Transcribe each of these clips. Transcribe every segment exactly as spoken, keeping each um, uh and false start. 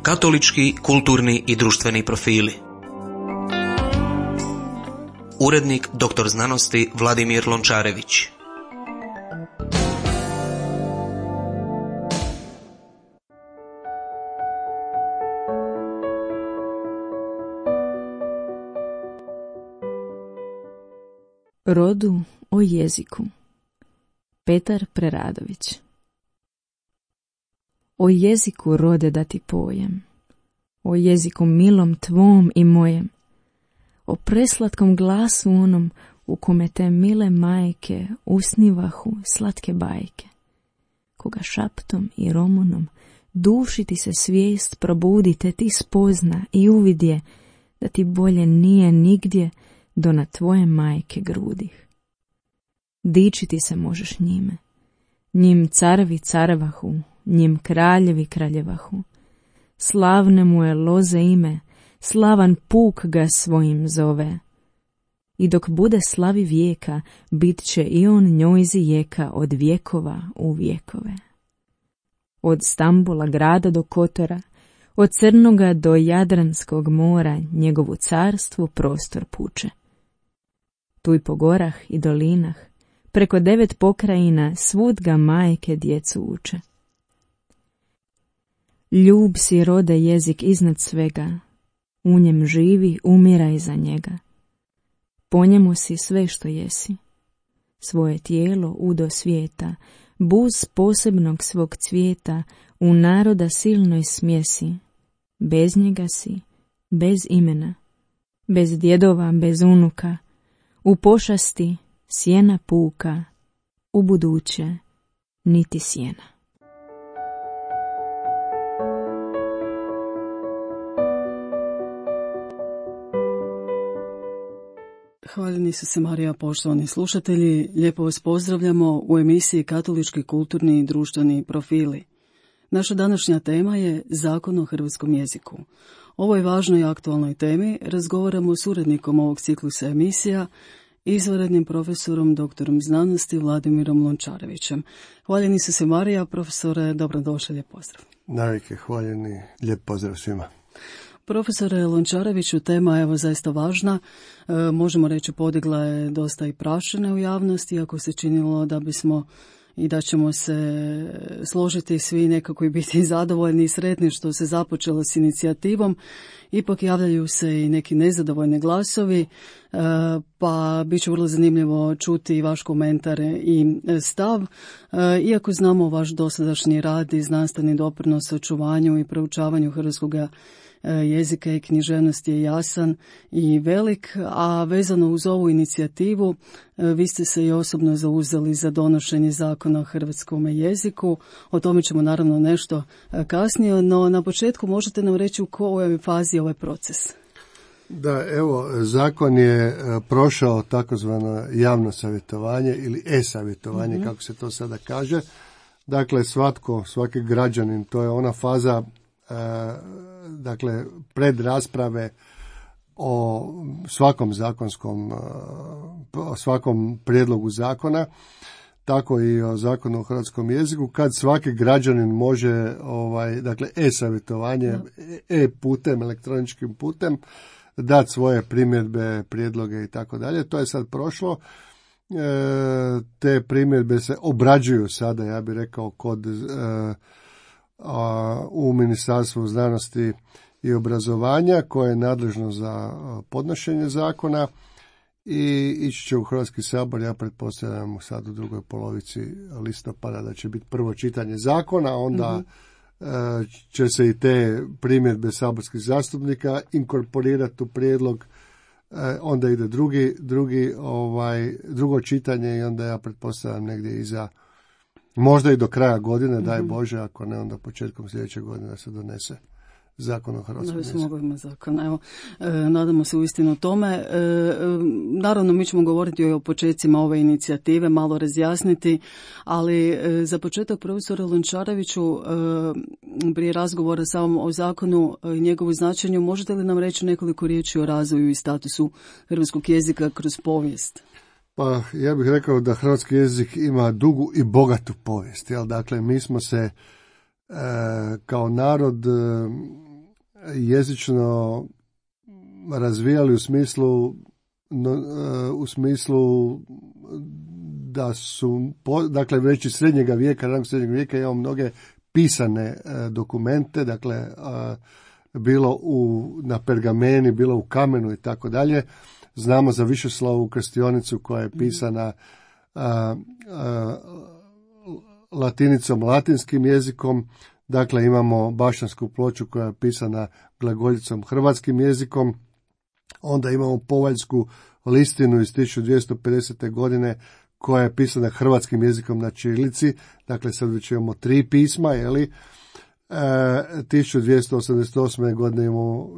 Katolički, kulturni i društveni profili. Urednik doktor znanosti Vladimir Lončarević. Rodu o jeziku. Petar Preradović. O jeziku, rode, da ti pojem, o jeziku milom tvom i mojem, o preslatkom glasu onom u kome te mile majke usnivahu slatke bajke, koga šaptom i romonom duši ti se svijest probudi, te ti spozna i uvidje da ti bolje nije nigdje do na tvoje majke grudih. Dičiti se možeš njime, njim carevi carvahu, njim kraljevi kraljevahu. Slavne mu je loze ime, slavan puk ga svojim zove. I dok bude slavi vijeka, bit će i on njojzi jeka od vjekova u vjekove. Od Stambula grada do Kotora, od Crnoga do Jadranskog mora, njegovu carstvu prostor puče. Tu i po gorah i dolinah, preko devet pokrajina, svud ga majke djecu uče. Ljub si, rode, jezik iznad svega, u njem živi, umiraj za njega. Po njemu si sve što jesi, svoje tijelo udo svijeta, buz posebnog svog cvijeta, u naroda silnoj smjesi. Bez njega si, bez imena, bez djedova, bez unuka, u pošasti sjena puka, u buduće niti sjena. Hvaljeni su se Marija, poštovani slušatelji, lijepo vas pozdravljamo u emisiji Katolički, kulturni i društveni profili. Naša današnja tema je Zakon o hrvatskom jeziku. O ovoj važnoj i aktualnoj temi razgovaramo s urednikom ovog ciklusa emisija, izvanrednim profesorom doktorom znanosti Vladimirom Lončarevićem. Hvaljeni su se Marija, profesore, dobrodošli, lijep pozdrav. Navike, hvaljeni, lijep pozdrav svima. Profesore Lončareviću, tema je evo zaista važna, e, možemo reći podigla je dosta i prašine u javnosti, iako se činilo da bismo i da ćemo se složiti svi nekako i biti zadovoljni i sretni što se započelo s inicijativom. Ipak javljaju se i neki nezadovoljni glasovi, e, pa bit će vrlo zanimljivo čuti i vaš komentar i stav. E, iako znamo vaš dosadašnji rad i znanstveni doprinos očuvanju i proučavanju hrvatskog jezika i književnosti je jasan i velik, a vezano uz ovu inicijativu vi ste se i osobno zauzeli za donošenje zakona o hrvatskom jeziku. O tome ćemo naravno nešto kasnije, no na početku možete nam reći u kojoj fazi je ovaj proces? Da, evo, zakon je prošao takozvano javno savjetovanje ili e-savjetovanje, mm-hmm. kako se to sada kaže. Dakle, svatko, svaki građanin, to je ona faza dakle pred rasprave o svakom zakonskom o svakom prijedlogu zakona, tako i o zakonu o hrvatskom jeziku, kad svaki građanin može ovaj dakle e-savjetovanje, no. e-putem, elektroničkim putem dati svoje primjedbe, prijedloge i tako dalje. To je sad prošlo. E, te primjedbe se obrađuju sada, ja bih rekao, kod e, u Ministarstvu znanosti i obrazovanja koje je nadležno za podnošenje zakona i ići će u Hrvatski sabor. Ja pretpostavljam sad u drugoj polovici listopada da će biti prvo čitanje zakona, onda mm-hmm. će se i te primjedbe saborskih zastupnika inkorporirati u prijedlog, onda ide drugi, drugi ovaj, drugo čitanje i onda ja pretpostavljam negdje iza možda i do kraja godine, mm-hmm. daj Bože, ako ne, onda početkom sljedeće godine da se donese zakon o hrvatskom jeziku. Da bismo mogli imati zakon. Evo, e, nadamo se uistinu tome. E, naravno, mi ćemo govoriti o početcima ove inicijative, malo razjasniti, ali e, za početak, profesore Lončareviću, e, prije razgovora samom o zakonu i njegovu značenju, možete li nam reći nekoliko riječi o razvoju i statusu hrvatskog jezika kroz povijest? Pa ja bih rekao da hrvatski jezik ima dugu i bogatu povijest. Jel? Dakle, mi smo se e, kao narod e, jezično razvijali u smislu no, u smislu da su, dakle, već iz srednjega vijeka, ranog srednjeg vijeka imamo mnoge pisane dokumente, dakle, bilo u, na pergameni, bilo u kamenu i tako dalje. Znamo za Višeslavu krstionicu koja je pisana a, a, latinicom, latinskim jezikom. Dakle, imamo Bašćansku ploču koja je pisana glagoljicom, hrvatskim jezikom. Onda imamo Povaljsku listinu iz tisuću dvjesto pedesete. godine koja je pisana hrvatskim jezikom na ćirilici. Dakle, sad već imamo tri pisma, jeli? E, tisuću dvjesto osamdeset osme. godine imamo,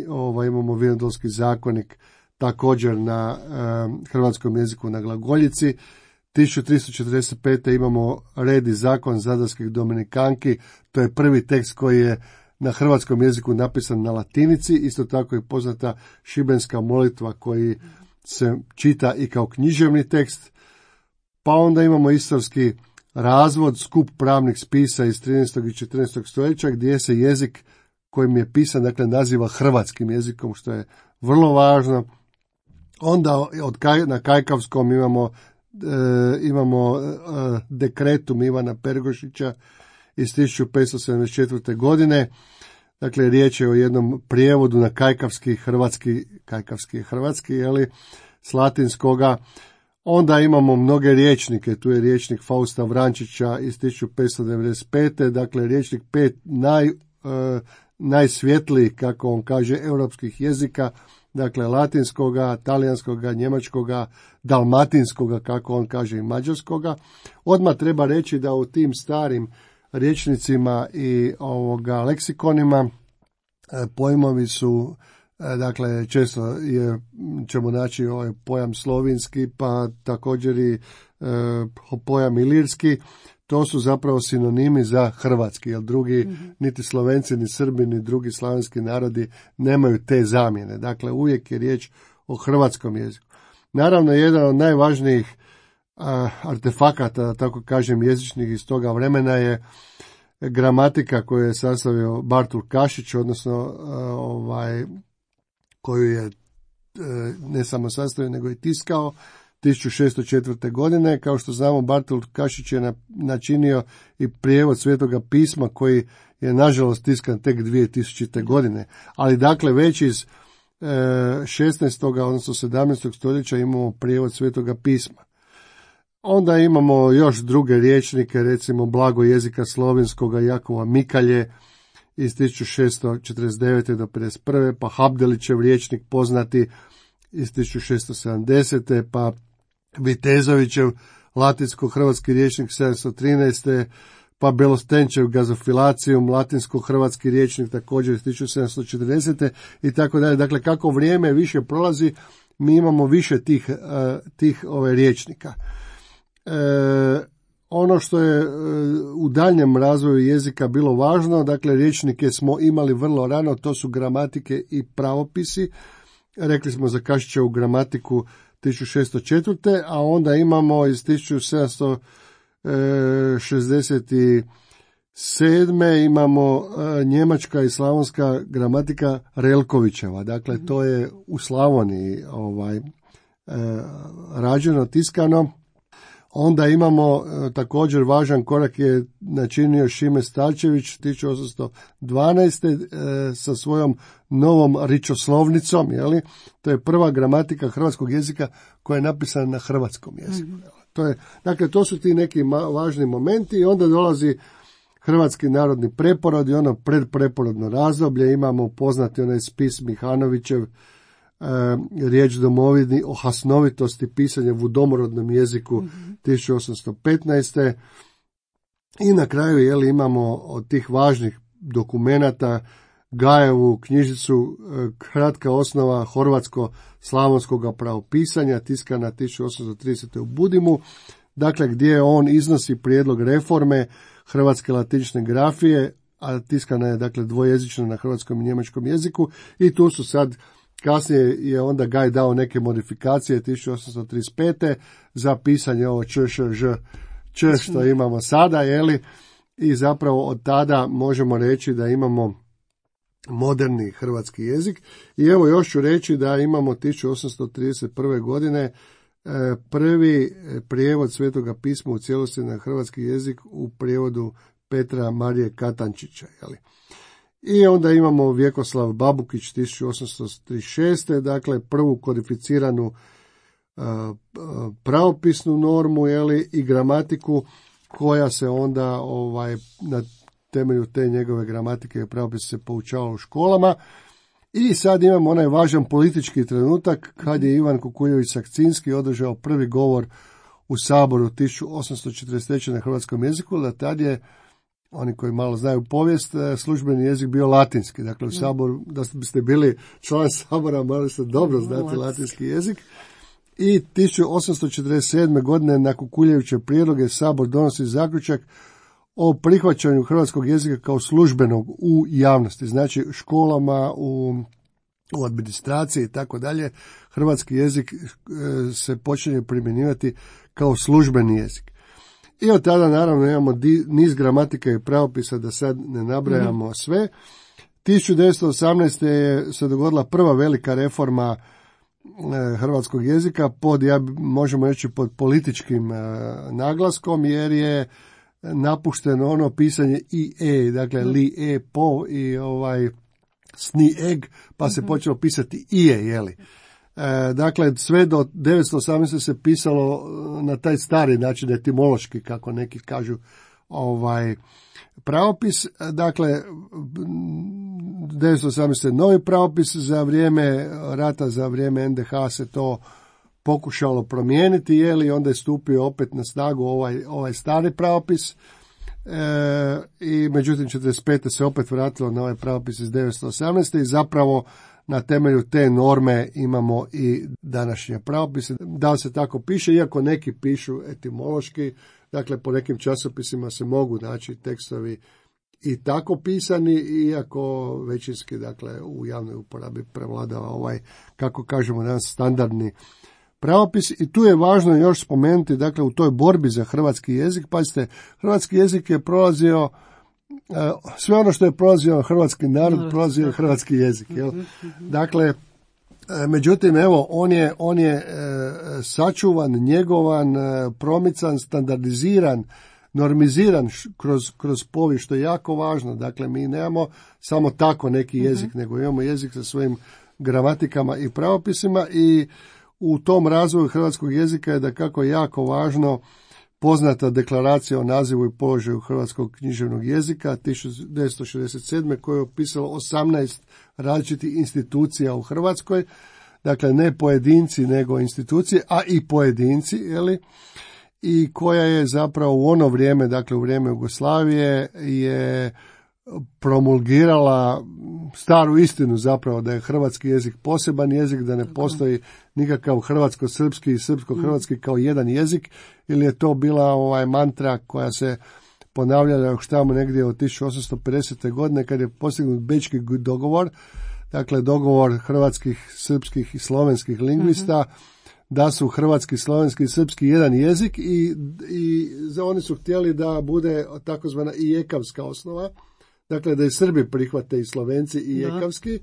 ovaj, imamo Vinodolski zakonik također na e, hrvatskom jeziku na glagoljici. tisuću tristo četrdeset pete. imamo Red i zakon zadarskih dominikanki, to je prvi tekst koji je na hrvatskom jeziku napisan na latinici, isto tako je poznata šibenska molitva koji se čita i kao književni tekst. Pa onda imamo istorski razvod, skup pravnih spisa iz trinaestog i četrnaestog. stoljeća gdje se jezik kojim je pisan, dakle, naziva hrvatskim jezikom, što je vrlo važno. Onda od kaj, na kajkavskom imamo E, imamo e, dekretum Ivana Pergošića iz tisuću petsto sedamdeset četvrte. godine. Dakle, riječ je o jednom prijevodu na kajkavski, hrvatski, kajkavski je hrvatski, jeli, s latinskoga. Onda imamo mnoge riječnike, tu je riječnik Fausta Vrančića iz tisuću petsto devedeset pete. Dakle, riječnik pet naj, e, najsvjetlijih, kako on kaže, europskih jezika. Dakle, latinskoga, talijanskoga, njemačkoga, dalmatinskoga, kako on kaže, i mađarskoga. Odmah treba reći da u tim starim rječnicima i ovoga leksikonima pojmovi su, dakle, često je, ćemo naći ovaj pojam slovinski, pa također i e, pojam ilirski. To su zapravo sinonimi za hrvatski, jer drugi, mm-hmm. niti Slovenci, ni Srbi, ni drugi slavenski narodi nemaju te zamjene. Dakle, uvijek je riječ o hrvatskom jeziku. Naravno, jedan od najvažnijih a, artefakata, da tako kažem, jezičnih iz toga vremena je gramatika koju je sastavio Bartul Kašić, odnosno a, ovaj, koju je a, ne samo sastavio, nego i tiskao tisuću šessto četvrte. godine. Kao što znamo, Bartul Kašić je načinio i prijevod Svetoga pisma koji je nažalost tiskan tek dvije tisućite. godine. Ali dakle, već iz e, šesnaestog. odnosno sedamnaestog. stoljeća imamo prijevod Svetoga pisma. Onda imamo još druge riječnike, recimo Blago jezika slovenskoga Jakova Mikalje iz tisuću šesto četrdeset devete. do pedeset prve. pa Habdelićev riječnik poznati iz tisuću šesto sedamdesete. pa Vitezovićev latinsko-hrvatski riječnik sedamsto trinaeste. pa Belostenčev Gazofilacijum, latinsko-hrvatski riječnik također iz tisuću sedamsto četrdesete. i tako dalje. Dakle, kako vrijeme više prolazi, mi imamo više tih, uh, tih ove riječnika. E, ono što je uh, u daljnjem razvoju jezika bilo važno, dakle, riječnike smo imali vrlo rano, to su gramatike i pravopisi. Rekli smo za Kašićevu gramatiku tisuću šesto četvrte. a onda imamo iz tisuću sedamsto šezdeset sedme. imamo e, njemačka i slavonska gramatika Relkovićeva. Dakle, to je u Slavoniji ovaj, e, rađeno, tiskano. Onda imamo e, također važan korak je načinio Šime Starčević tisuću osamsto dvanaeste. E, sa svojom novom ričoslovnicom, jeli? To je prva gramatika hrvatskog jezika koja je napisana na hrvatskom jeziku. Mm-hmm. To je, dakle, to su ti neki ma- važni momenti i onda dolazi hrvatski narodni preporod i ono predpreporodno razdoblje. Imamo poznati onaj spis Mihanovićev, e, riječ domovini o hasnovitosti pisanja u domorodnom jeziku mm-hmm. tisuću osamsto petnaeste. I na kraju, jeli, imamo od tih važnih dokumenata Gajevu knjižicu Kratka osnova horvatsko-slavonskog pravopisanja, tiskana tisuću osamsto tridesete. u Budimu, dakle, gdje on iznosi prijedlog reforme hrvatske latinične grafije, a tiskana je, dakle, dvojezično na hrvatskom i njemačkom jeziku. I tu su sad, kasnije je onda Gaj dao neke modifikacije tisuću osamsto trideset pete. za pisanje ovo č, š, ž, č što imamo sada, jeli? I zapravo od tada možemo reći da imamo moderni hrvatski jezik. I evo još ću reći da imamo tisuću osamsto trideset prve godine prvi prijevod Svetoga pisma u cijelosti na hrvatski jezik u prijevodu Petra Marije Katančića. Jeli? I onda imamo Vjekoslav Babukić tisuću osamsto trideset šeste. dakle prvu kodificiranu pravopisnu normu, jeli, i gramatiku koja se onda ovaj na temelju te njegove gramatike i pravopisa se poučavalo u školama. I sad imamo onaj važan politički trenutak kad je Ivan Kukuljević Sakcinski održao prvi govor u Saboru tisuću osamsto četrdeset treće na hrvatskom jeziku, da tad je, oni koji malo znaju povijest, službeni jezik bio latinski. Dakle, u Saboru, da biste bili član Sabora, morali ste dobro znati latinski jezik. I tisuću osamsto četrdeset sedme. godine na Kukuljeviće prijedloge Sabor donosi zaključak o prihvaćanju hrvatskog jezika kao službenog u javnosti, znači školama, u, u administraciji i tako dalje. Hrvatski jezik e, se počinje primjenjivati kao službeni jezik. I od tada naravno imamo di, niz gramatika i pravopisa, da sad ne nabrajamo mm-hmm. sve. tisuću devetsto osamnaeste. je se dogodila prva velika reforma e, hrvatskog jezika pod, ja možemo reći, pod političkim e, naglaskom, jer je napušteno ono pisanje i e, dakle li, e, po i ovaj sni, eg, pa se počelo pisati i je, jeli. E, dakle, sve do devetsto osamnaeste. se pisalo na taj stari način, etimološki, kako neki kažu, ovaj pravopis. Dakle, devetsto osamnaeste. novi pravopis, za vrijeme rata, za vrijeme en de ha se to pokušalo promijeniti, je li, onda je stupio opet na snagu ovaj, ovaj stari pravopis, e, i međutim četrdeset pete. se opet vratilo na ovaj pravopis iz devetsto osamnaeste. i zapravo na temelju te norme imamo i današnje pravopise. Da li se tako piše, iako neki pišu etimološki, dakle po nekim časopisima se mogu naći tekstovi i tako pisani, iako većinski, dakle, u javnoj uporabi prevladava ovaj, kako kažemo danas, standardni pravopis. I tu je važno još spomenuti, dakle, u toj borbi za hrvatski jezik, pazite, hrvatski jezik je prolazio, sve ono što je prolazio hrvatski narod, prolazio je hrvatski jezik. Jel? Dakle, međutim, evo, on je, on je sačuvan, njegovan, promican, standardiziran, normiziran kroz, kroz povijest, što je jako važno. Dakle, mi nemamo samo tako neki jezik, uh-huh. nego imamo jezik sa svojim gramatikama i pravopisima, i u tom razvoju hrvatskog jezika je dakako jako važno poznata deklaracija o nazivu i položaju hrvatskog književnog jezika tisuću devetsto šezdeset sedme. koje je opisalo osamnaest različitih institucija u Hrvatskoj, dakle ne pojedinci nego institucije, a i pojedinci, jeli, i koja je zapravo u ono vrijeme, dakle u vrijeme Jugoslavije, je promulgirala staru istinu zapravo da je hrvatski jezik poseban jezik, da ne postoji nikakav hrvatsko-srpski i srpsko-hrvatski kao jedan jezik, ili je to bila ovaj mantra koja se ponavljala još tamo negdje od tisuću osamsto pedesete. godine kad je postignut Bečki dogovor, dakle dogovor hrvatskih, srpskih i slovenskih lingvista, mm-hmm. da su hrvatski, slovenski i srpski jedan jezik, i, i za oni su htjeli da bude takozvana i ekavska osnova, dakle da i Srbi prihvate i Slovenci i ekavski,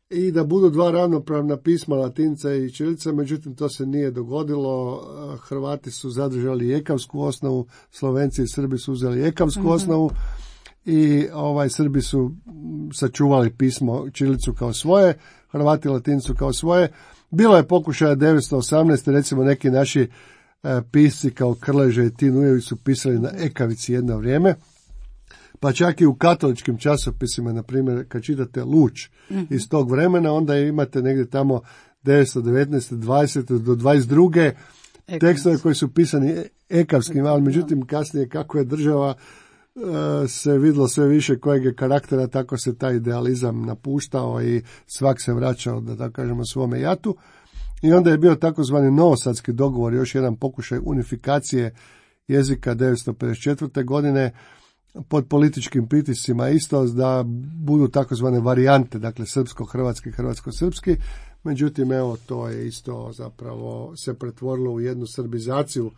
i da budu dva ravnopravna pisma, latinca i ćirilica. Međutim, to se nije dogodilo. Hrvati su zadržali ekavsku osnovu, Slovenci i Srbi su uzeli ekavsku mm-hmm. osnovu, i ovaj Srbi su sačuvali pismo ćirilicu kao svoje, Hrvati latincu kao svoje. Bilo je pokušaja devetsto osamnaeste. recimo neki naši e, pisci kao Krleže i Tin Ujević su pisali na ekavici jedno vrijeme. Pa čak i u katoličkim časopisima, na primjer, kad čitate Luč mm-hmm. iz tog vremena, onda imate negdje tamo devetsto devetnaeste. dvadesete do dvadeset druge tekstove koji su pisani ekavskim, ali međutim kasnije kako je država uh, se vidjelo sve više kojeg je karaktera, tako se taj idealizam napuštao i svak se vraćao, da tako kažemo, svome jatu. I onda je bio takozvani novosadski dogovor, još jedan pokušaj unifikacije jezika devetsto pedeset četvrte. godine, pod političkim pritiscima isto, da budu takozvane varijante, dakle srpsko-hrvatski, hrvatsko-srpski. Međutim, evo, to je isto zapravo se pretvorilo u jednu srbizaciju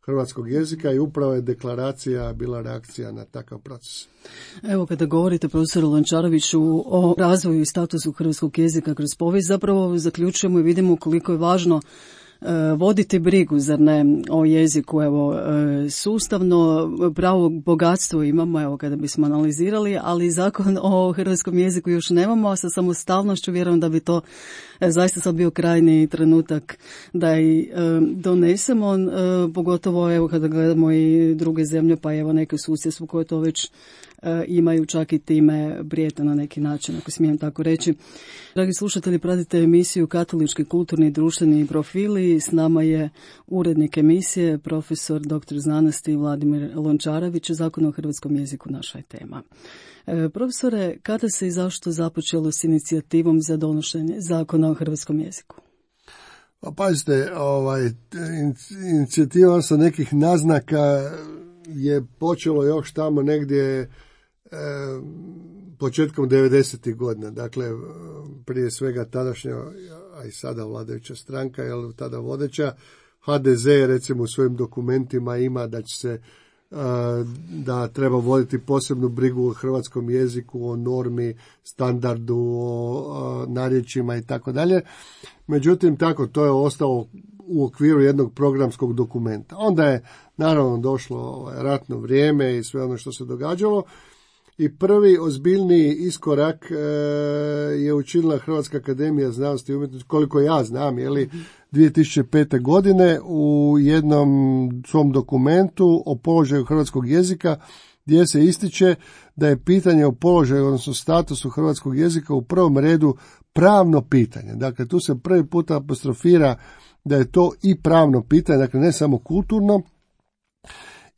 hrvatskog jezika i upravo je deklaracija bila reakcija na takav proces. Evo, kada govorite, profesor Lončareviću, o razvoju i statusu hrvatskog jezika kroz povijest, zapravo zaključujemo i vidimo koliko je važno voditi brigu, zar ne, o jeziku. Evo, sustavno pravo bogatstvo imamo, evo, kada bismo analizirali, ali zakon o hrvatskom jeziku još nemamo, a sa samostalnošću vjerujem da bi to zaista sad bio krajnji trenutak da i donesemo, pogotovo evo kada gledamo i druge zemlje, pa evo neke u susjedstvu koje to već imaju, čak i time prijete na neki način, ako smijem tako reći. Dragi slušatelji, pratite emisiju Katolički kulturni i društveni profili. S nama je urednik emisije, profesor doktor znanosti Vladimir Lončarević. Zakon o hrvatskom jeziku naša je tema. E, profesore, kada se i zašto započelo s inicijativom za donošenje zakona o hrvatskom jeziku? Pa pazite, ovaj, inicijativa sa nekih naznaka je počelo još tamo negdje e, početkom devedesetih godina. Dakle, prije svega tadašnja, a i sada vladajuća stranka, jel tada vodeća, ha de ze recimo u svojim dokumentima ima da će se da treba voditi posebnu brigu o hrvatskom jeziku, o normi, standardu, o narječjima i tako dalje. Međutim, tako to je ostalo u okviru jednog programskog dokumenta. Onda je naravno došlo ratno vrijeme i sve ono što se događalo i prvi ozbiljniji iskorak e, je učinila Hrvatska akademija znanosti i umjetnosti, koliko ja znam, je li, dvije tisuće pete. godine u jednom svom dokumentu o položaju hrvatskog jezika gdje se ističe da je pitanje o položaju, odnosno statusu hrvatskog jezika u prvom redu pravno pitanje. Dakle, tu se prvi puta apostrofira da je to i pravno pitanje, dakle ne samo kulturno,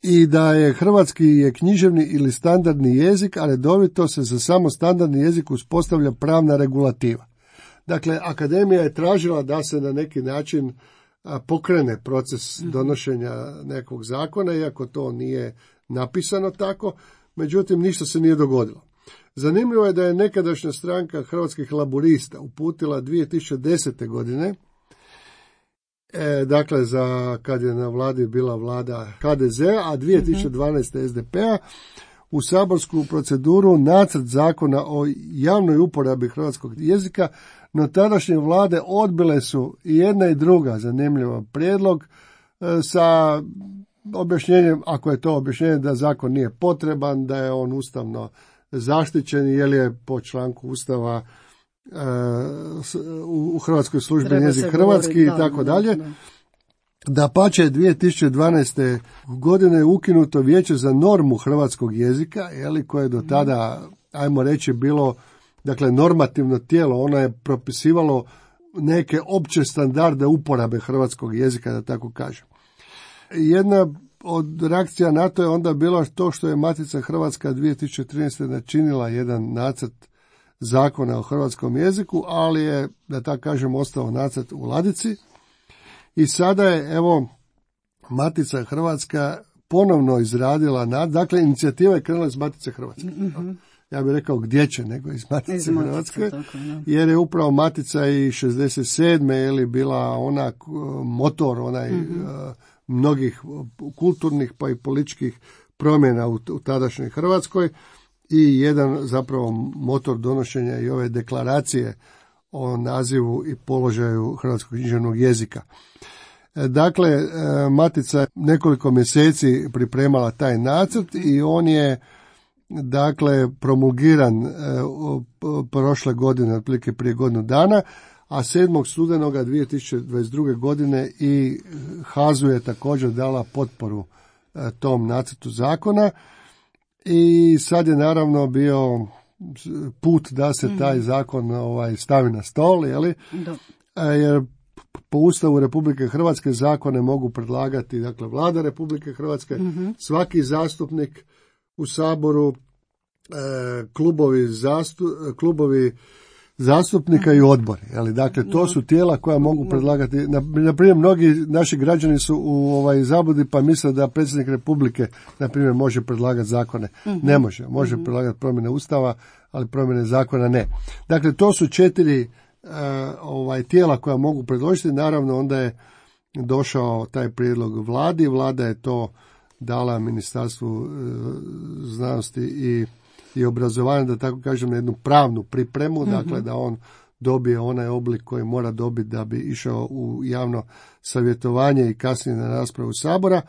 i da je hrvatski je književni ili standardni jezik, a redovito se za samo standardni jezik uspostavlja pravna regulativa. Dakle, akademija je tražila da se na neki način pokrene proces donošenja nekog zakona, iako to nije napisano tako, međutim ništa se nije dogodilo. Zanimljivo je da je nekadašnja stranka Hrvatskih laburista uputila dvije tisuće desete. godine, e, dakle za kad je na vladi bila vlada ha de ze, a dvije tisuće dvanaeste. es de pe-a, u saborsku proceduru nacrt zakona o javnoj uporabi hrvatskog jezika, no tadašnje vlade odbile su i jedna i druga zanimljiva prijedlog e, sa objašnjenjem, ako je to objašnjenje da zakon nije potreban, da je on ustavno zaštićen, jer je po članku Ustava e, u Hrvatskoj službeni jezik hrvatski i tako dalje. Da pače dvije tisuće dvanaeste. godine je ukinuto Vijeće za normu hrvatskog jezika, jeli, koje je do tada, ajmo reći, bilo dakle normativno tijelo. Ono je propisivalo neke opće standarde uporabe hrvatskog jezika, da tako kažem. Jedna od reakcija na to je onda bila to što je Matica Hrvatska dvije tisuće trinaeste. načinila jedan nacrt zakona o hrvatskom jeziku, ali je, da tako kažem, ostao nacrt u ladici. I sada je, evo, Matica Hrvatska ponovno izradila, nad, dakle, inicijativa je krenula iz Matice Hrvatske. Mm-hmm. Ja bih rekao gdje će, nego iz Matice iz Hrvatske, tako, jer je upravo Matica i šezdeset sedme. je li bila ona motor, onaj mm-hmm. uh, mnogih kulturnih pa i političkih promjena u, u tadašnjoj Hrvatskoj i jedan zapravo motor donošenja i ove deklaracije o nazivu i položaju hrvatskog književnog jezika. Dakle, Matica nekoliko mjeseci pripremala taj nacrt i on je dakle promulgiran prošle godine, otprilike prije godinu dana, a sedmog studenoga dvije tisuće dvadeset druge. godine i ha zu je također dala potporu tom nacrtu zakona i sad je naravno bio put da se taj zakon ovaj, stavi na stol, jeli? Jer po Ustavu Republike Hrvatske zakone mogu predlagati, dakle, Vlada Republike Hrvatske, mm-hmm. svaki zastupnik u Saboru, e, klubovi, zastu, klubovi zastupnika i odbori. Jeli? Dakle, to su tijela koja mogu predlagati. Na primjer, mnogi naši građani su u ovaj zabudi pa misle da predsjednik Republike, na primjer, može predlagati zakone. Mm-hmm. Ne može. Može mm-hmm. predlagati promjene Ustava, ali promjene zakona ne. Dakle, to su četiri uh, ovaj tijela koja mogu predložiti. Naravno, onda je došao taj prijedlog vladi, vlada je to dala Ministarstvu znanosti i, i obrazovanja, da tako kažem, na jednu pravnu pripremu, mm-hmm. dakle da on dobije onaj oblik koji mora dobiti da bi išao u javno savjetovanje i kasnije na raspravu Sabora.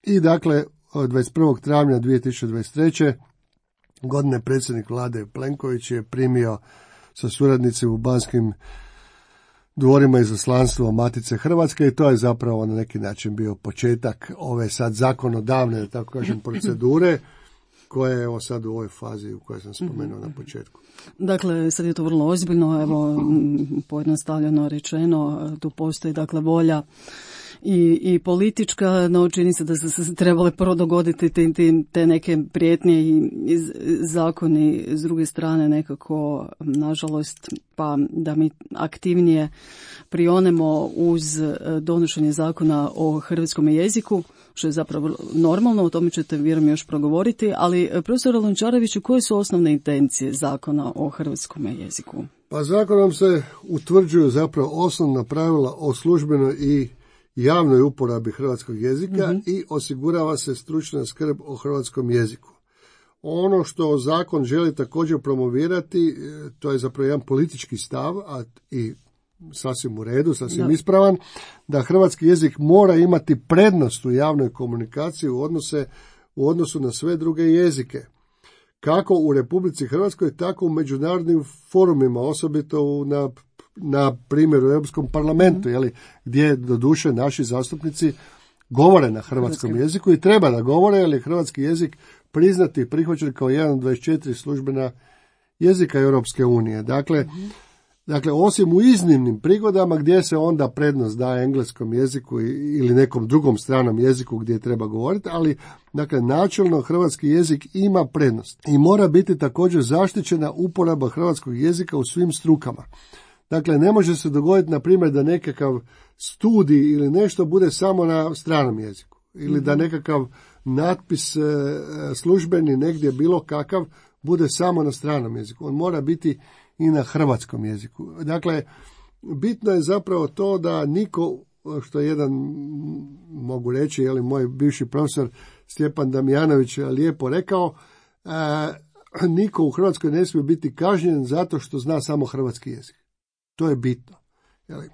I dakle, dvadeset prvog travnja dvije tisuće dvadeset treće godine predsjednik vlade Plenković je primio sa suradnicima u Banskim dvorima izaslanstvo Matice Hrvatske i to je zapravo na neki način bio početak ove sad zakonodavne, da tako kažem, procedure koja je evo sad u ovoj fazi u kojoj sam spomenuo na početku. Dakle, sad je to vrlo ozbiljno, evo pojednostavljeno rečeno, tu postoji dakle volja i, i politička, no čini se da su se trebale prvo dogoditi te, te, te neke prijetnje i, i zakoni s druge strane nekako, nažalost, pa da mi aktivnije prionemo uz donošenje zakona o hrvatskom jeziku, što je zapravo normalno, o tome ćete vjerujem još progovoriti, ali profesore Lončareviću, koje su osnovne intencije zakona o hrvatskom jeziku? Pa zakonom se utvrđuju zapravo osnovna pravila o službenoj i javnoj uporabi hrvatskog jezika mm-hmm. i osigurava se stručna skrb o hrvatskom jeziku. Ono što zakon želi također promovirati, to je zapravo jedan politički stav, a i sasvim u redu, sasvim da. ispravan, da hrvatski jezik mora imati prednost u javnoj komunikaciji u, odnose, u odnosu na sve druge jezike. Kako u Republici Hrvatskoj, tako u međunarodnim forumima, osobito u, na, na primjer u Europskom parlamentu, mm. jeli, gdje doduše naši zastupnici govore na hrvatskom Hrvatski. jeziku i treba da govore, jer je hrvatski jezik priznati i prihvaćen kao jedan od dvadeset četiri službena jezika Europske unije. Dakle, mm. Dakle, osim u iznimnim prigodama gdje se onda prednost daje engleskom jeziku ili nekom drugom stranom jeziku gdje treba govoriti, ali dakle, načelno hrvatski jezik ima prednost i mora biti također zaštićena uporaba hrvatskog jezika u svim strukama. Dakle, ne može se dogoditi, na primjer, da nekakav studij ili nešto bude samo na stranom jeziku ili mm-hmm. da nekakav natpis e, službeni negdje bilo kakav bude samo na stranom jeziku. On mora biti i na hrvatskom jeziku. Dakle, bitno je zapravo to da niko, što je jedan, mogu reći, je li moj bivši profesor Stjepan Damjanović lijepo rekao, e, niko u Hrvatskoj ne smije biti kažnjen zato što zna samo hrvatski jezik. To je bitno. Je li?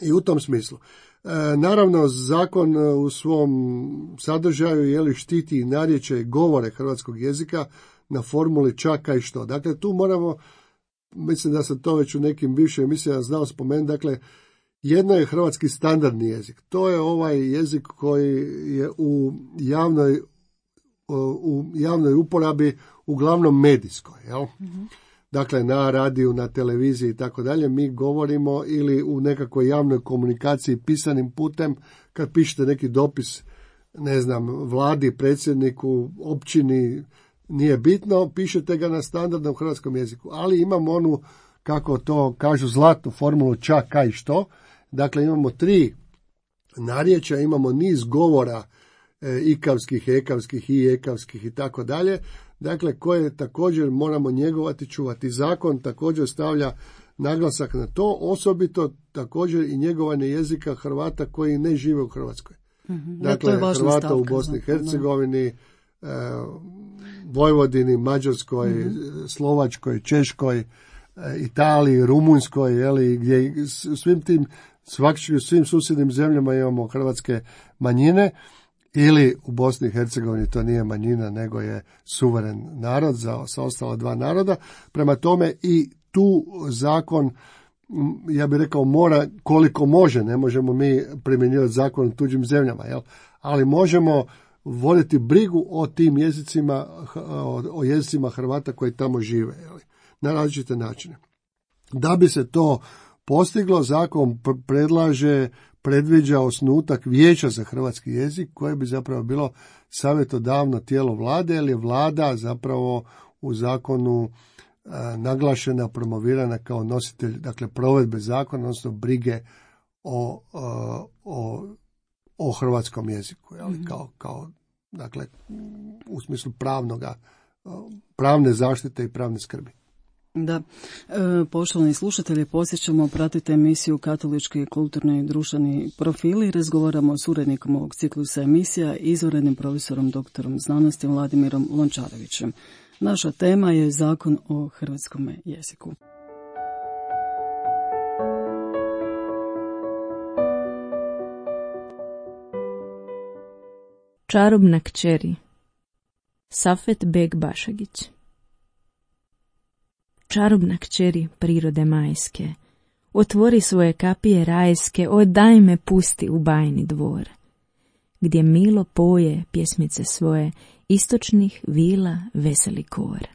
I u tom smislu. E, naravno, zakon u svom sadržaju je li štiti narječje govore hrvatskog jezika na formuli čaka i što. Dakle, tu moramo, mislim da sam to već u nekim bivšim emisijama znao spomenuti, dakle, jedno je hrvatski standardni jezik. To je ovaj jezik koji je u javnoj, u javnoj uporabi uglavnom medijskoj, jel? Mm-hmm. Dakle, na radiju, na televiziji i tako dalje, mi govorimo ili u nekakvoj javnoj komunikaciji pisanim putem, kad pišete neki dopis, ne znam, vladi, predsjedniku, općini, nije bitno, pišete ga na standardnom hrvatskom jeziku, ali imamo onu, kako to kažu, zlatnu formulu čak, kaj, što. Dakle, imamo tri narječja, imamo niz govora e, ikavskih, ekavskih i ekavskih i tako dalje, dakle, koje također moramo njegovati, čuvati. Zakon također stavlja naglasak na to, osobito također i njegovanje jezika Hrvata koji ne žive u Hrvatskoj. Mm-hmm. Dakle, Hrvata stavka, u Bosni i Hercegovini, e, Vojvodini, Mađarskoj, mm-hmm. Slovačkoj, Češkoj, Italiji, Rumunjskoj, jeli, gdje svim tim, svakako svim susjednim zemljama imamo hrvatske manjine, ili u Bosni i Hercegovini to nije manjina, nego je suveren narod za, sa ostala dva naroda. Prema tome i tu zakon, ja bih rekao, mora koliko može, ne možemo mi primjenjivati zakon u tuđim zemljama, jel? Ali možemo voditi brigu o tim jezicima, o, o jezicima Hrvata koji tamo žive, jel? Na različite načine. Da bi se to postiglo, zakon predlaže, predviđa osnutak vijeća za hrvatski jezik, koje bi zapravo bilo savjetodavno tijelo vlade, jer je vlada zapravo u zakonu a, naglašena, promovirana kao nositelj, dakle, provedbe zakona, odnosno brige o, a, o, o hrvatskom jeziku, jel? Mm-hmm. Kao, kao, dakle, u smislu pravnoga, pravne zaštite i pravne skrbi. Da, e, poštovani slušatelji, posjećamo, pratite emisiju Katolički kulturni i društveni profili. Razgovaramo s urednikom ovog ciklusa emisija, izvanrednim profesorom doktorom znanosti Vladimirom Lončarevićem. Naša tema je Zakon o hrvatskom jeziku. Čarobna kćeri. Safet Beg Bašagić. Čarobna kćeri prirode majske, otvori svoje kapije rajske, o daj me pusti u bajni dvor, gdje milo poje pjesmice svoje, istočnih vila veseli kor.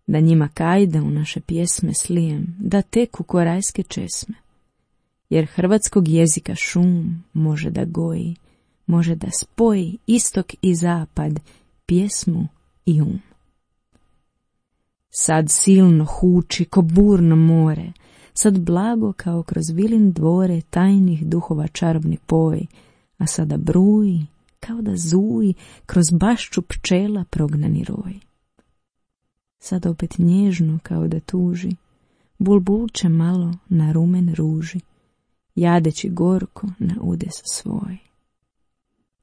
Da njima kajde u naše pjesme slijem, da teku ko rajske česme, jer hrvatskog jezika šum može da goji, može da spoji istok i zapad, pjesmu i um. Sad silno huči ko burno more, sad blago kao kroz vilin dvore tajnih duhova čarobni poj, a sada bruji kao da zuji kroz bašču pčela prognani roj. Sad opet nježno kao da tuži, bulbulče malo na rumen ruži, jadeći gorko na udes svoj.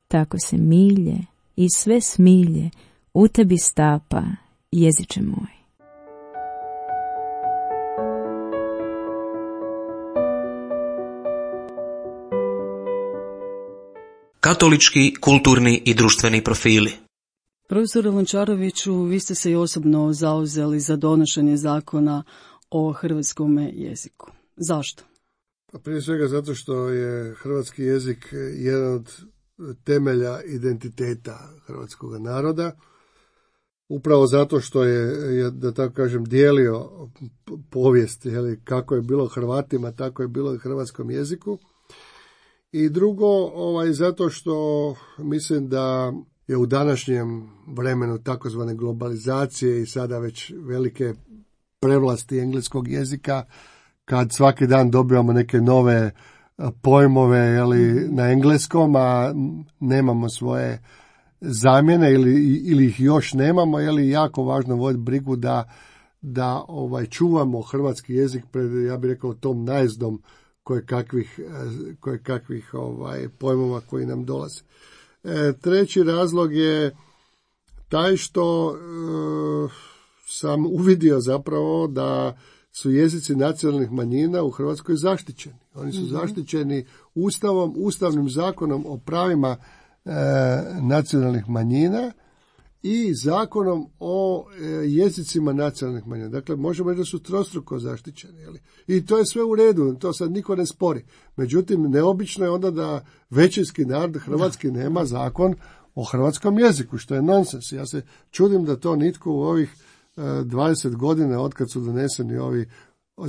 Tako se milje i sve smilje u tebi stapa, jeziče moj. Katolički, kulturni i društveni profili. Profesore Lončareviću, vi ste se i osobno zauzeli za donošenje zakona o hrvatskom jeziku. Zašto? Pa prije svega zato što je hrvatski jezik jedan od temelja identiteta hrvatskog naroda. Upravo zato što je, da tako kažem, dijelio povijest, jeli, kako je bilo Hrvatima, tako je bilo i hrvatskom jeziku. I drugo, ovaj, zato što mislim da je u današnjem vremenu takozvane globalizacije i sada već velike prevlasti engleskog jezika, kad svaki dan dobivamo neke nove pojmove, jeli, na engleskom, a nemamo svoje zamjene ili, ili ih još nemamo, jeli, jako važno voditi brigu da, da ovaj, čuvamo hrvatski jezik pred, ja bih rekao, tom najezdom koje kakvih, koje kakvih ovaj, pojmova koji nam dolaze. E, treći razlog je taj što e, sam uvidio zapravo da su jezici nacionalnih manjina u Hrvatskoj zaštićeni. Oni su mm-hmm. zaštićeni Ustavom, Ustavnim zakonom o pravima e, nacionalnih manjina i zakonom o e, jezicima nacionalnih manjina. Dakle, možemo reći da su trostruko zaštićeni. Jeli? I to je sve u redu, to sad niko ne spori. Međutim, neobično je onda da većinski narod hrvatski nema zakon o hrvatskom jeziku, što je nonsens. Ja se čudim da to nitko u ovih e, dvadeset godina, otkad su doneseni ovi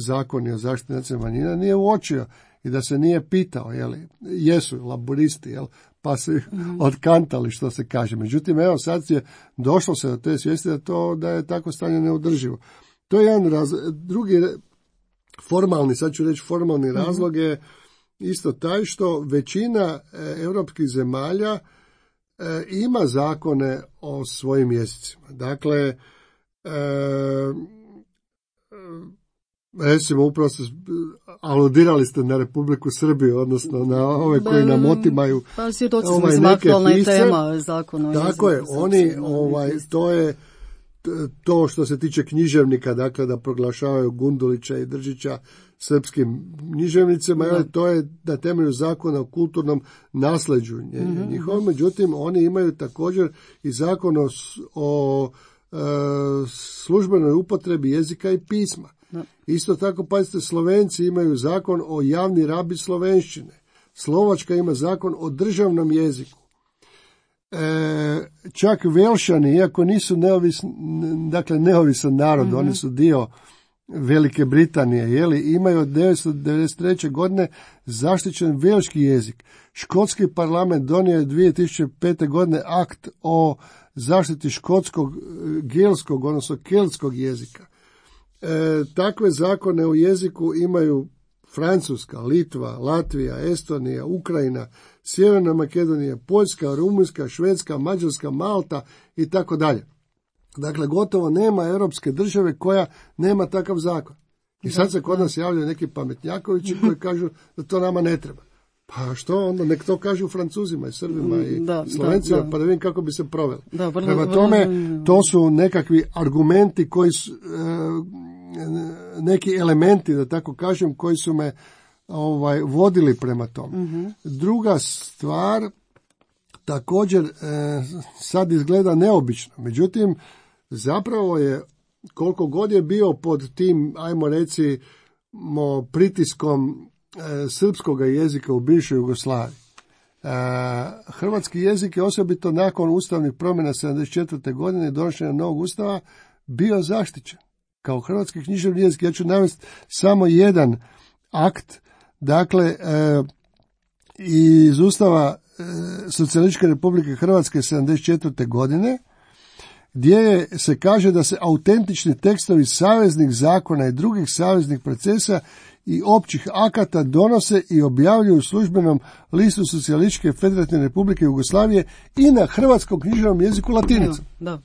zakoni o zaštiti nacionalnih manjina, nije uočio i da se nije pitao, jeli, jesu laburisti, jel, pa se mm. otkantali, što se kaže. Međutim, evo sad je došlo se do te svijesti da, to, da je tako stanje neodrživo. To je jedan razlog. Drugi formalni, sad ću reći formalni mm. razlog je isto taj što većina e, europskih zemalja e, ima zakone o svojim jezicima. Dakle, e, recimo, upravo ste aludirali ste na Republiku Srbiju, odnosno na ove koji nam otimaju pa, svjedoci smo ovaj, iz neke aktualna pisce. Tema zakona. Tako je, oni, ovaj, to je to što se tiče književnika, dakle da proglašavaju Gundulića i Držića srpskim književnicima, da. to je na temelju zakona o kulturnom nasljeđu mm-hmm. njihovom, međutim oni imaju također i zakon o, o e, službenoj upotrebi jezika i pisma. Da. Isto tako, pazite, Slovenci imaju zakon o javni rabi slovenščine. Slovačka ima zakon o državnom jeziku. E, čak Velšani, iako nisu neovisni, dakle neovisan narod, mm-hmm. oni su dio Velike Britanije, jeli, imaju od devetsto devedeset treće godine zaštićen velški jezik. Škotski parlament donio je dvije tisuće pete godine akt o zaštiti škotskog, gelskog, odnosno keltskog jezika. E, takve zakone u jeziku imaju Francuska, Litva, Latvija, Estonija, Ukrajina, Sjeverna Makedonija, Poljska, Rumunjska, Švedska, Mađarska, Malta i tako dalje. Dakle, gotovo nema europske države koja nema takav zakon. I sad se kod nas javljaju neki pametnjakovići koji kažu da to nama ne treba. Pa što onda, nek to kažu Francuzima i Srbima i da, Slovencima, da, da. pa da vidim kako bi se proveli. Da, vrlo, Prema vrlo, tome, vrlo, to su nekakvi argumenti koji su, neki elementi, da tako kažem, koji su me ovaj, vodili prema tome. Uh-huh. Druga stvar, također, sad izgleda neobično. Međutim, zapravo je, koliko god je bio pod tim, ajmo reći, mo, pritiskom e, srpskog jezika u bivšoj Jugoslaviji. E, hrvatski jezik je osobito nakon ustavnih promjena sedamdeset četvrte godine i donošenja novog ustava bio zaštićen kao hrvatski književni jezik. Ja ću navesti samo jedan akt, dakle, e, iz ustava e, Socijalističke Republike Hrvatske sedamdeset četvrte godine, gdje se kaže da se autentični tekstovi saveznih zakona i drugih saveznih procesa i općih akata donose i objavljuju u službenom listu Socijalističke Federativne Republike Jugoslavije i na hrvatskom književnom jeziku latinicom. Da, da.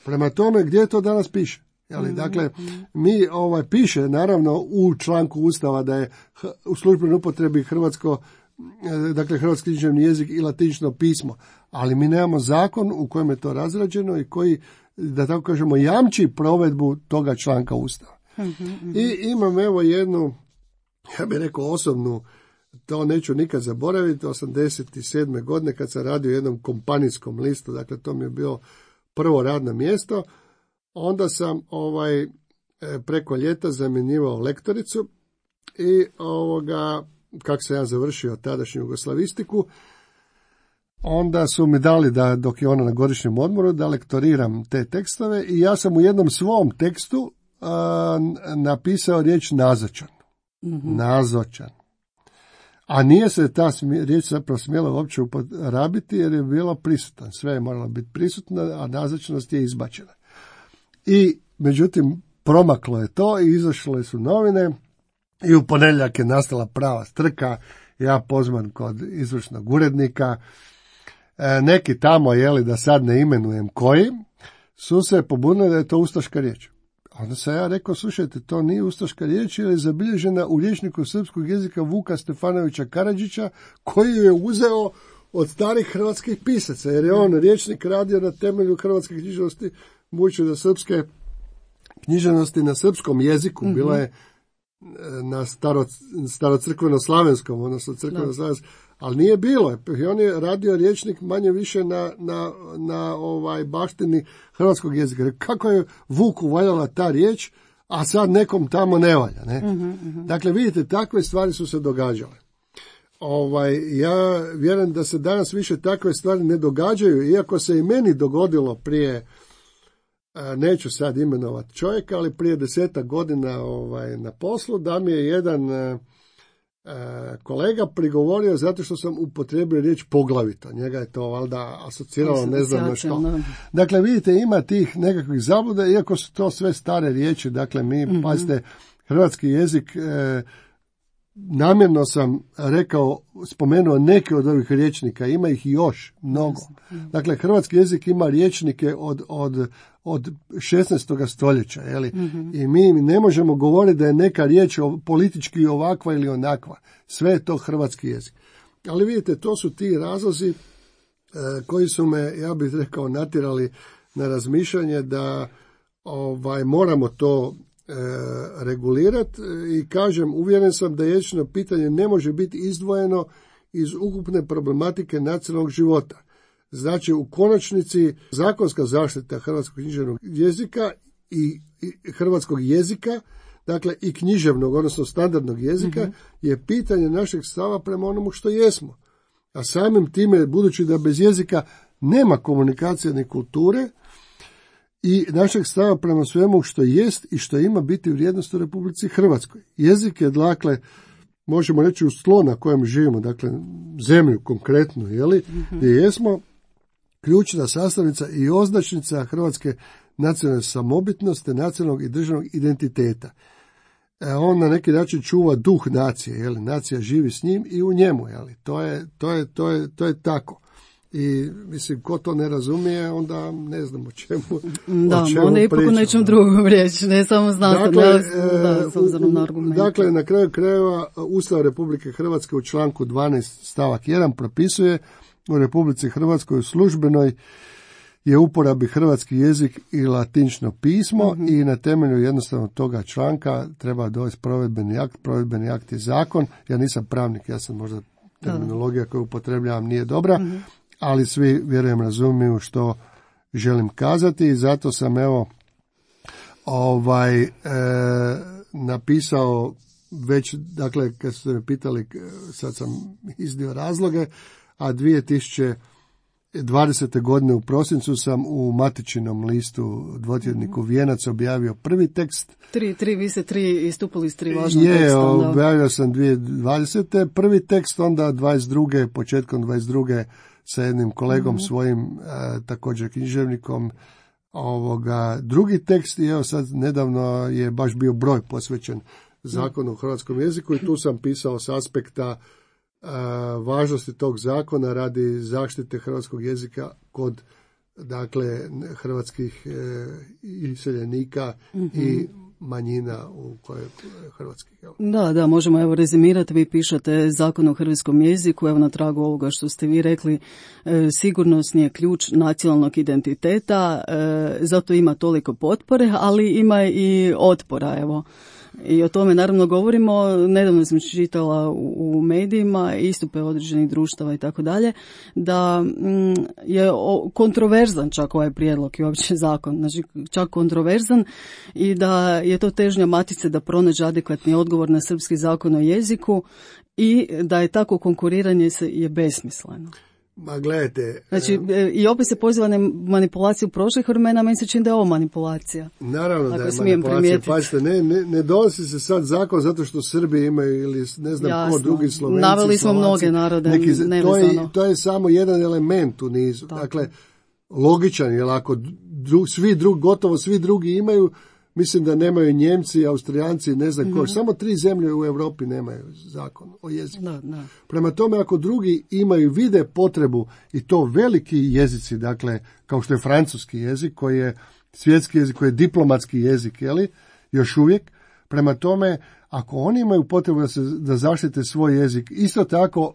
Prema tome, gdje to danas piše? Jeli, dakle, mi ovaj piše naravno u članku Ustava da je u službenoj upotrebi hrvatsko, dakle hrvatski književni jezik i latinično pismo, ali mi nemamo zakon u kojem je to razrađeno i koji, da tako kažemo, jamči provedbu toga članka Ustava. Mm-hmm. I imam evo jednu, ja bih rekao osobnu, to neću nikad zaboraviti, osamdeset sedme godine kad sam radio u jednom kompanijskom listu, dakle to mi je bilo prvo radno mjesto, onda sam ovaj preko ljeta zamjenjivao lektoricu i ovoga, kako sam ja završio tadašnju jugoslavistiku, onda su mi dali da, dok je ona na godišnjem odmoru, da lektoriram te tekstove i ja sam u jednom svom tekstu a, napisao riječ nazočan. Mm-hmm. Nazočan. A nije se ta smije, riječ zapravo smjela uopće uporabiti jer je bilo prisutan. Sve je moralo biti prisutno, a nazočnost je izbačena. I, međutim, promaklo je to i izašle su novine i u ponedjeljak je nastala prava strka, ja pozvan kod izvršnog urednika, e, neki tamo, jeli, da sad ne imenujem koji, su se pobunili da je to ustaška riječ. Onda sam ja rekao, slušajte, to nije ustaška riječ, jer je zabilježena u rječniku srpskog jezika Vuka Stefanovića Karadžića, koji je uzeo od starih hrvatskih pisaca, jer je on rječnik radio na temelju hrvatske književnosti, budući da srpske književnosti na srpskom jeziku mm-hmm. bila je na staro, starocrkveno-slavenskom, odnosno crkveno-slavenskom, ali nije bilo. I on je radio rječnik manje više na, na, na ovaj baštini hrvatskog jezika. Kako je Vuku valjala ta riječ, a sad nekom tamo ne valja. Ne? Mm-hmm, mm-hmm. Dakle, vidite, takve stvari su se događale. Ovaj, ja vjerujem da se danas više takve stvari ne događaju, iako se i meni dogodilo prije, neću sad imenovati čovjeka, ali prije desetak godina ovaj, na poslu, da mi je jedan e, kolega prigovorio zato što sam upotrijebio riječ poglavito. Njega je to valjda asociralo, ne znam na što. Dakle, vidite, ima tih nekakvih zabluda, iako su to sve stare riječi. Dakle, mi, mm-hmm. pazite, hrvatski jezik, e, namjerno sam rekao, spomenuo neke od ovih rječnika, ima ih još mnogo. Dakle, hrvatski jezik ima rječnike od, od, od šesnaestog stoljeća, jeli? Mm-hmm. I mi ne možemo govoriti da je neka riječ politički ovakva ili onakva. Sve je to hrvatski jezik. Ali vidite, to su ti razlozi e, koji su me, ja bih rekao, natjerali na razmišljanje da ovaj, moramo to regulirati i kažem, uvjeren sam da jezično pitanje ne može biti izdvojeno iz ukupne problematike nacionalnog života. Znači, u konačnici zakonska zaštita hrvatskog književnog jezika i, i hrvatskog jezika, dakle i književnog, odnosno standardnog jezika, mm-hmm. je pitanje našeg stava prema onomu što jesmo. A samim time, budući da bez jezika nema komunikacije ni kulture, i našeg stava prema svemu što jest i što ima biti vrijednost u Republici Hrvatskoj. Jezik je, dakle, možemo reći u tlo na kojem živimo, dakle, zemlju konkretno, jeli, mm-hmm. gdje jesmo ključna sastavnica i označnica hrvatske nacionalne samobitnosti, nacionalnog i državnog identiteta. E, on na neki način čuva duh nacije, jeli, nacija živi s njim i u njemu, jeli. To je, to je, to je, to je tako. I, mislim, ko to ne razumije, onda ne znam o čemu, da, o čemu onda ipak u nečem drugom riječ, ne samo znanstveno, dakle, da, s obzirom na argumente. Dakle, na kraju krajeva, Ustav Republike Hrvatske u članku dvanaest stavak jedan propisuje u Republici Hrvatskoj u službenoj je uporabi hrvatski jezik i latinično pismo mm-hmm. i na temelju jednostavno toga članka treba dovesti provedbeni akt. Provedbeni akt je zakon. Ja nisam pravnik, ja sam možda terminologija koju upotrebljavam nije dobra, mm-hmm. ali svi, vjerujem, razumiju što želim kazati i zato sam evo ovaj e, napisao već, dakle, kad ste me pitali, sad sam iznio razloge, a dvije tisuće dvadesete godine u prosincu sam u matičinom listu dvotjedniku Vijenac objavio prvi tekst. Tri, tri, vi ste tri istupili s tri važna je, teksta. Je, objavio sam dvije tisuće dvadesete prvi tekst, onda dvadeset druge početkom dvadeset druge sa jednim kolegom mm-hmm. svojim, a, također književnikom, ovoga, drugi tekst i evo sad nedavno je baš bio broj posvećen zakonu o hrvatskom jeziku i tu sam pisao s aspekta važnosti tog zakona radi zaštite hrvatskog jezika kod, dakle, hrvatskih e, iseljenika mm-hmm. i manjina u kojoj hrvatskih. Evo. Da, da, možemo evo rezimirati. Vi pišete zakon o hrvatskom jeziku, evo na tragu ovoga što ste vi rekli, e, sigurnosni je ključ nacionalnog identiteta, e, zato ima toliko potpore, ali ima i otpora, evo. I o tome naravno govorimo, nedavno sam čitala u, u medijima istupe određenih društava i tako dalje, da mm, je o, kontroverzan čak ovaj prijedlog i uopće zakon, znači čak kontroverzan i da je to težnja Matice da pronađe adekvatni odgovor na srpski zakon o jeziku i da je tako konkuriranje se je besmisleno. Ma gledajte... Znači, i opet se poziva na manipulaciju prošlih vremena, meni se čini da je ovo manipulacija. Naravno da je manipulacija. Pazite, ne, ne, ne donosi se sad zakon zato što Srbi imaju ili ne znam Jasno. ko drugi Slovenci. Naveli smo Slovaci, mnoge narode. Neki, to, je, to je samo jedan element u nizu. Tako. Dakle, logičan, jer ako dru, svi drugi, gotovo svi drugi imaju, mislim da nemaju Njemci, Austrijanci, ne znam mm-hmm. ko. Samo tri zemlje u Europi nemaju zakon o jeziku. Da, da. Prema tome, ako drugi imaju, vide potrebu, i to veliki jezici, dakle, kao što je francuski jezik, koji je svjetski jezik, koji je diplomatski jezik, jeli, još uvijek. Prema tome, ako oni imaju potrebu da, se, da zaštite svoj jezik, isto tako,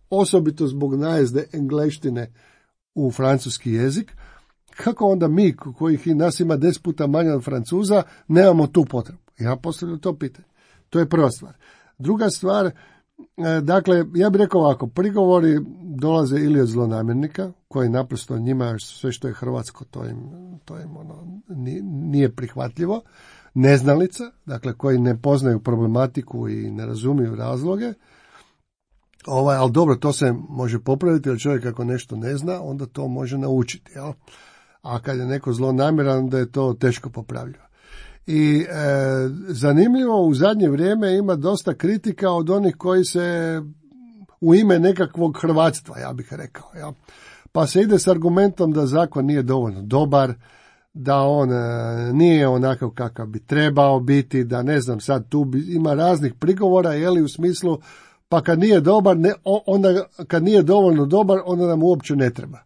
osobito zbog najezde engleštine u francuski jezik, kako onda mi, kojih i nas ima deset puta manje od Francuza, nemamo tu potrebu? Ja postavljam to pitanje. To je prva stvar. Druga stvar, dakle, ja bih rekao ovako, prigovori dolaze ili od zlonamjernika, koji naprosto njima sve što je hrvatsko, to im, to im ono, nije prihvatljivo, neznalica, dakle, koji ne poznaju problematiku i ne razumiju razloge. Ovaj, ali dobro, to se može popraviti, jer čovjek ako nešto ne zna, onda to može naučiti, jel? A kad je neko zlonamjeran, onda je to teško popravljivo. I e, zanimljivo, u zadnje vrijeme ima dosta kritika od onih koji se u ime nekakvog hrvatstva, ja bih rekao. Ja. Pa se ide s argumentom da zakon nije dovoljno dobar, da on e, nije onakav kakav bi trebao biti, da ne znam, sad tu bi, ima raznih prigovora, jeli, u smislu, pa kad nije dobar, ne, onda kad nije dovoljno dobar, onda nam uopće ne treba.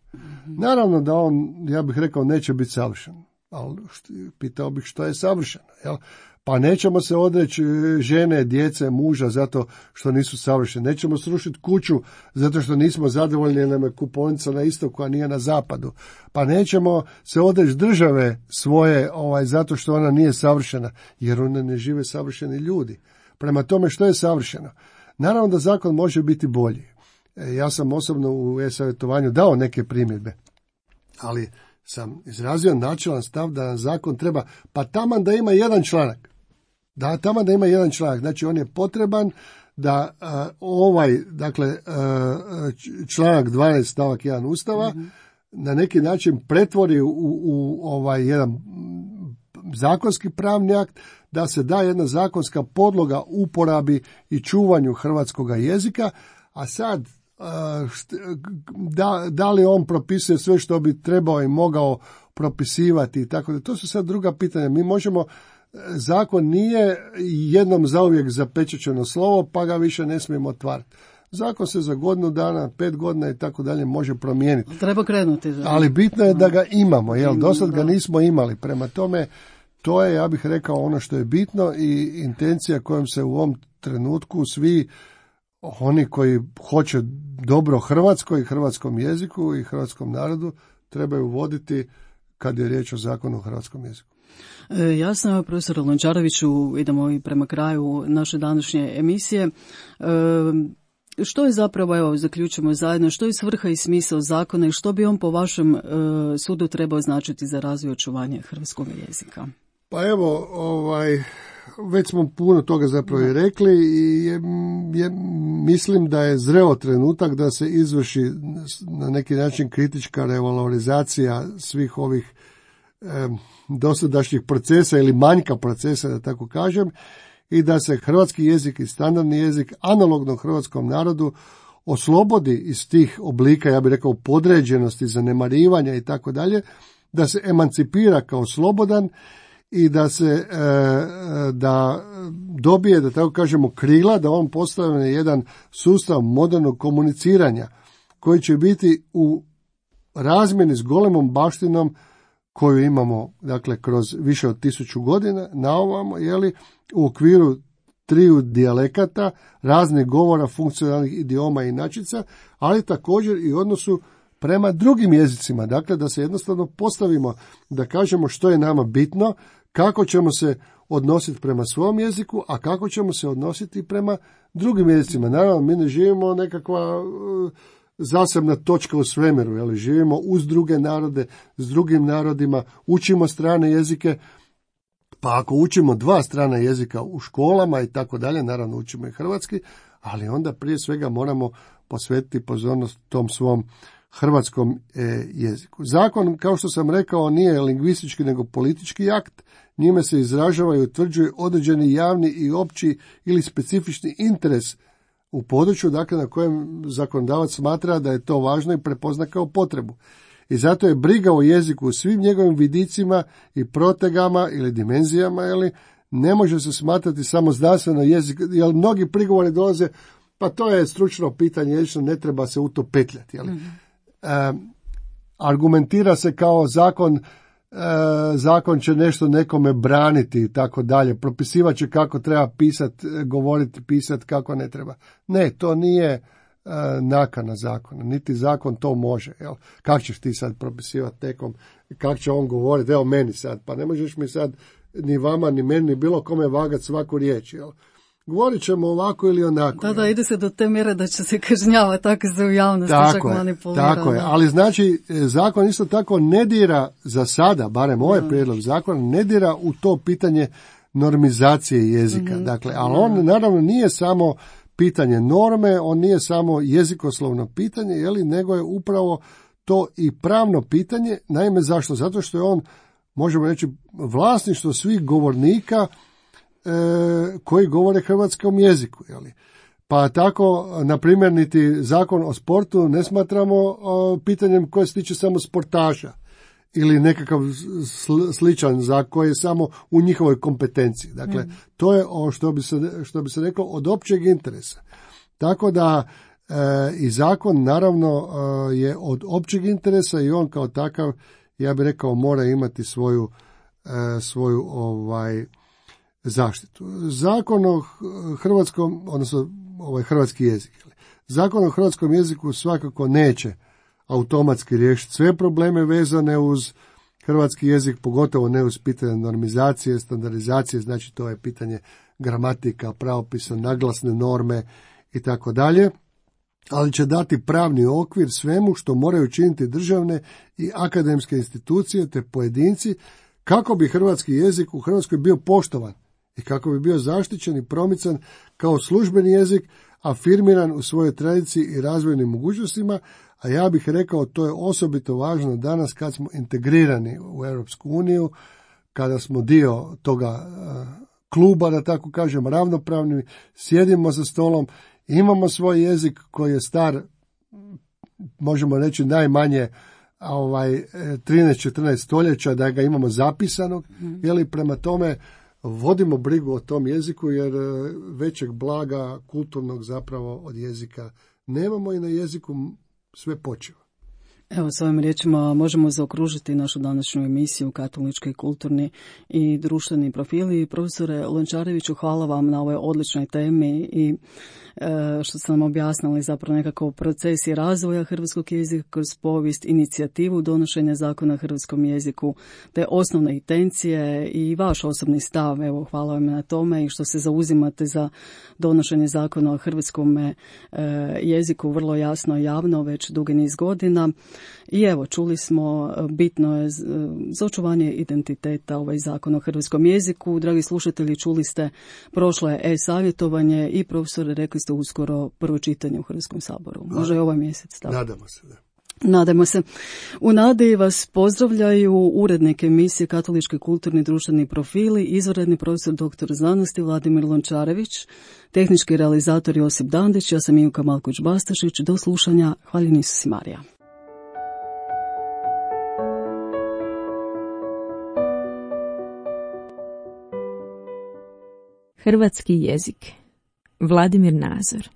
Naravno da on, ja bih rekao, neće biti savršen, ali što, pitao bih što je savršeno, jel? Pa nećemo se odreći žene, djece, muža zato što nisu savršeni. Nećemo srušiti kuću zato što nismo zadovoljni jer nam je kupovnica na istoku, a nije na zapadu. Pa nećemo se odreći države svoje ovaj, zato što ona nije savršena, jer one ne žive savršeni ljudi. Prema tome, što je savršeno? Naravno da zakon može biti bolji. Ja sam osobno u e-savjetovanju dao neke primjedbe, ali sam izrazio načelan stav da zakon treba, pa taman da ima jedan članak. Da, taman da ima jedan članak. Znači, on je potreban da uh, ovaj, dakle, uh, članak dvanaest stavak jedan Ustava mm-hmm. na neki način pretvori u, u ovaj jedan zakonski pravni akt, da se da jedna zakonska podloga uporabi i čuvanju hrvatskoga jezika, a sad da, da li on propisuje sve što bi trebao i mogao propisivati i tako da, to su sad druga pitanja. Mi možemo, zakon nije jednom zauvijek zapečaćeno slovo, pa ga više ne smijemo otvarati. Zakon se za godinu dana, pet godina i tako dalje može promijeniti. Treba krenuti. Da. Ali bitno je da ga imamo, jel? Do sad ga nismo imali. Prema tome, to je, ja bih rekao, ono što je bitno i intencija kojom se u ovom trenutku svi oni koji hoće dobro Hrvatskoj, hrvatskom jeziku i hrvatskom narodu trebaju voditi kad je riječ o zakonu o hrvatskom jeziku. E, jasno, profesor Lončareviću, idemo i prema kraju naše današnje emisije. E, što je zapravo, evo, zaključimo zajedno, što je svrha i smisao zakona i što bi on po vašem e, sudu trebao značiti za razvoj i očuvanje hrvatskog jezika? Pa evo, ovaj, već smo puno toga zapravo i rekli i je, je, mislim da je zreo trenutak da se izvrši na neki način kritička revalorizacija svih ovih eh, dosadašnjih procesa ili manjka procesa, da tako kažem, i da se hrvatski jezik i standardni jezik analogno hrvatskom narodu oslobodi iz tih oblika, ja bih rekao, podređenosti, zanemarivanja i tako dalje, da se emancipira kao slobodan i da se da dobije, da tako kažemo, krila, da on postane jedan sustav modernog komuniciranja koji će biti u razmjeni s golemom baštinom koju imamo, dakle, kroz više od tisuću godina na ovamo, jeli, u okviru triju dijalekata, raznih govora, funkcionalnih idioma i inačica, ali također i odnosu prema drugim jezicima. Dakle, da se jednostavno postavimo, da kažemo što je nama bitno, kako ćemo se odnositi prema svom jeziku, a kako ćemo se odnositi prema drugim jezicima. Naravno, mi ne živimo nekakva uh, zasebna točka u svemiru, jel? Živimo uz druge narode, s drugim narodima, učimo strane jezike, pa ako učimo dva strana jezika u školama i tako dalje, naravno učimo i hrvatski, ali onda prije svega moramo posvetiti pozornost tom svom hrvatskom e, jeziku. Zakon, kao što sam rekao, nije lingvistički nego politički akt, njime se izražava i utvrđuje određeni javni i opći ili specifični interes u području, dakle, na kojem zakonodavac smatra da je to važno i prepozna kao potrebu. I zato je briga o jeziku u svim njegovim vidicima i protegama ili dimenzijama, jeli, ne može se smatrati samo znanstveno jezik, jer mnogi prigovori dolaze, pa to je stručno pitanje, jezično, ne treba se u to petljati. Jeli. Mm-hmm. E, argumentira se kao zakon, e, zakon će nešto nekome braniti i tako dalje, propisivat će kako treba pisati, govoriti, pisati, kako ne treba. Ne, to nije e, nakana zakona, niti zakon to može. Jel? Kako ćeš ti sad propisivati nekom, kako će on govoriti, evo meni sad, pa ne možeš mi sad ni vama, ni meni, ni bilo kome vagati svaku riječ, jel? Govorit ćemo ovako ili onako. Da, da, ide se do te mjere da će se kažnjavati, tako se u javnosti čak manipulira. Tako je, ali znači zakon isto tako ne dira za sada, barem ovaj da. prijedlog zakona, ne dira u to pitanje normizacije jezika. Mm-hmm. Dakle, ali on naravno nije samo pitanje norme, on nije samo jezikoslovno pitanje, jeli, nego je upravo to i pravno pitanje. Naime, zašto? Zato što je on, možemo reći, vlasništvo svih govornika koji govore hrvatskom jeziku. Jeli. Pa tako, na primjer, niti zakon o sportu ne smatramo o, pitanjem koje se tiče samo sportaša ili nekakav sl- sličan za koji je samo u njihovoj kompetenciji. Dakle, mm. to je o što bi se, što bi se reklo od općeg interesa. Tako da e, i zakon naravno e, je od općeg interesa i on kao takav, ja bih rekao, mora imati svoju, e, svoju ovaj zaštitu. Zakon o hrvatskom, odnosno ovaj hrvatski jezik. Zakon o hrvatskom jeziku svakako neće automatski riješiti sve probleme vezane uz hrvatski jezik, pogotovo ne uz pitanje normizacije, standardizacije, znači to je pitanje gramatika, pravopisa, naglasne norme i tako dalje, ali će dati pravni okvir svemu što moraju činiti državne i akademske institucije te pojedinci kako bi hrvatski jezik u Hrvatskoj bio poštovan i kako bi bio zaštićen i promican kao službeni jezik, afirmiran u svojoj tradiciji i razvojnim mogućnostima, a ja bih rekao to je osobito važno danas kad smo integrirani u Europsku uniju, kada smo dio toga uh, kluba, da tako kažem, ravnopravni, sjedimo za stolom, imamo svoj jezik koji je star, možemo reći najmanje ovaj trinaest četrnaest stoljeća, da ga imamo zapisanog, mm. jeli, prema tome vodimo brigu o tom jeziku, jer većeg blaga kulturnog zapravo od jezika nemamo i na jeziku sve počiva. Evo, s ovim riječima možemo zaokružiti našu današnju emisiju Katolički, kulturni i društveni profili. Profesore Lončareviću, hvala vam na ovoj odličnoj temi i e, što ste nam objasnili zapravo nekako procesi razvoja hrvatskog jezika kroz povijest, inicijativu donošenja zakona o hrvatskom jeziku, te osnovne intencije i vaš osobni stav. Evo, hvala vam na tome i što se zauzimate za donošenje zakona o hrvatskom e, jeziku vrlo jasno i javno već dugi niz godina. I evo, čuli smo, bitno je za očuvanje identiteta ovaj zakon o hrvatskom jeziku. Dragi slušatelji, čuli ste, prošlo je e-savjetovanje i profesore, rekli ste uskoro prvo čitanje u Hrvatskom saboru. Može i ovaj mjesec. Tako. Nadamo se, da. Nadajmo se. U nadi vas pozdravljaju urednik emisije Katolički, kulturni i društveni profili, izvanredni profesor doktor znanosti Vladimir Lončarević, tehnički realizator Josip Dandić, ja sam Ivka Malković-Bastašić. Do slušanja. Hvaljen Isus i Marija. Hrvatski jezik. Vladimir Nazor.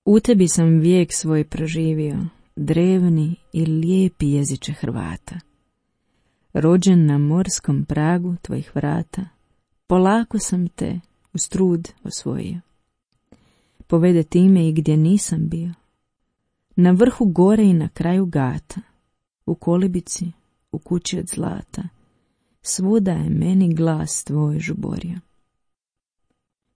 U tebi sam vijek svoj proživio, drevni i lijepi jeziče Hrvata. Rođen na morskom pragu tvojih vrata, polako sam te uz trud osvojio. Povede time i gdje nisam bio, na vrhu gore i na kraju gata, u kolibici, u kući od zlata, svuda je meni glas tvoj žuborio.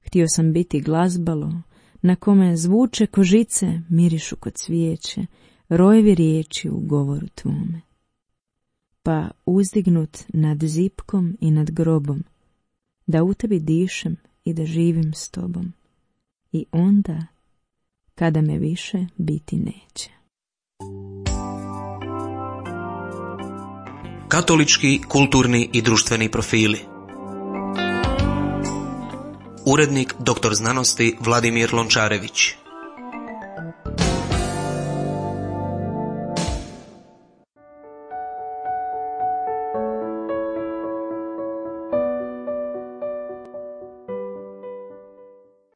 Htio sam biti glazbalo, na kome zvuče kožice, mirišu kod cvijeće, rojevi riječi u govoru tvome. Pa uzdignut nad zipkom i nad grobom, da u tebi dišem i da živim s tobom. I onda, kada me više biti neće. Katolički, kulturni i društveni profili. Urednik doktor znanosti Vladimir Lončarević.